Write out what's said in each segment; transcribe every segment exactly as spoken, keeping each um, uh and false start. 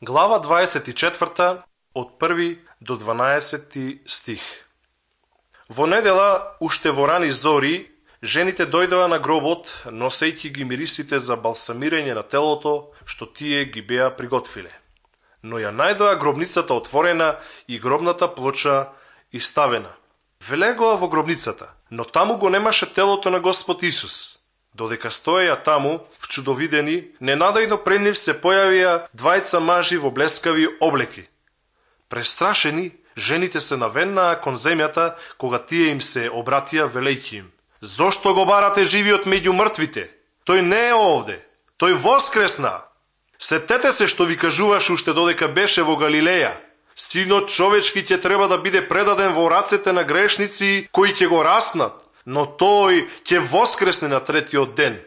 Глава дваесет и четврта, од први до дванаесети стих. Во недела, уште во рани зори, жените дојдоа на гробот, носејќи ги мирисите за балсамирање на телото, што тие ги беа приготвиле. Но ја најдоа гробницата отворена и гробната плоча иставена. Влегоа во гробницата, но таму го немаше телото на Господ Исус. Додека стоеја таму, вчудовидени, ненадејно пред нив се појавија двајца мажи во блескави облеки. Престрашени, жените се наведнаа кон земјата, кога тие им се обратија велејќи им: "Зошто го барате живиот меѓу мртвите? Тој не е овде, тој воскресна. Сетете се што ви кажуваш уште додека беше во Галилеја. Синот човечки ќе треба да биде предаден во рацете на грешници кои ќе го раснат, но тој ќе воскресне на третиот ден."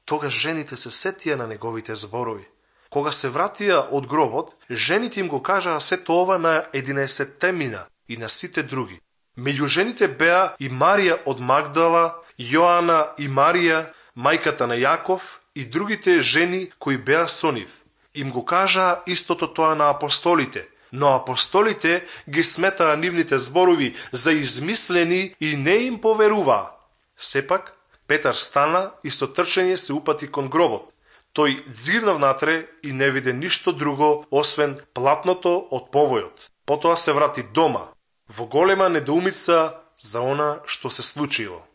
Тогаш жените се сетија на неговите зборови. Кога се вратија од гробот, жените им го кажаа сето ова на единаесетте мина и на сите други. Меѓу жените беа и Марија од Магдала, Јоана и Марија, мајката на Јаков, и другите жени кои беа со нив. Им го кажаа истото тоа на апостолите, но апостолите ги сметаа нивните зборови за измислени и не им поверуваа. Сепак, Петар стана и со трчање се упати кон гробот. Тој дзирна внатре и не виде ништо друго, освен платното од повојот. Потоа се врати дома, во голема недоумица за она што се случило.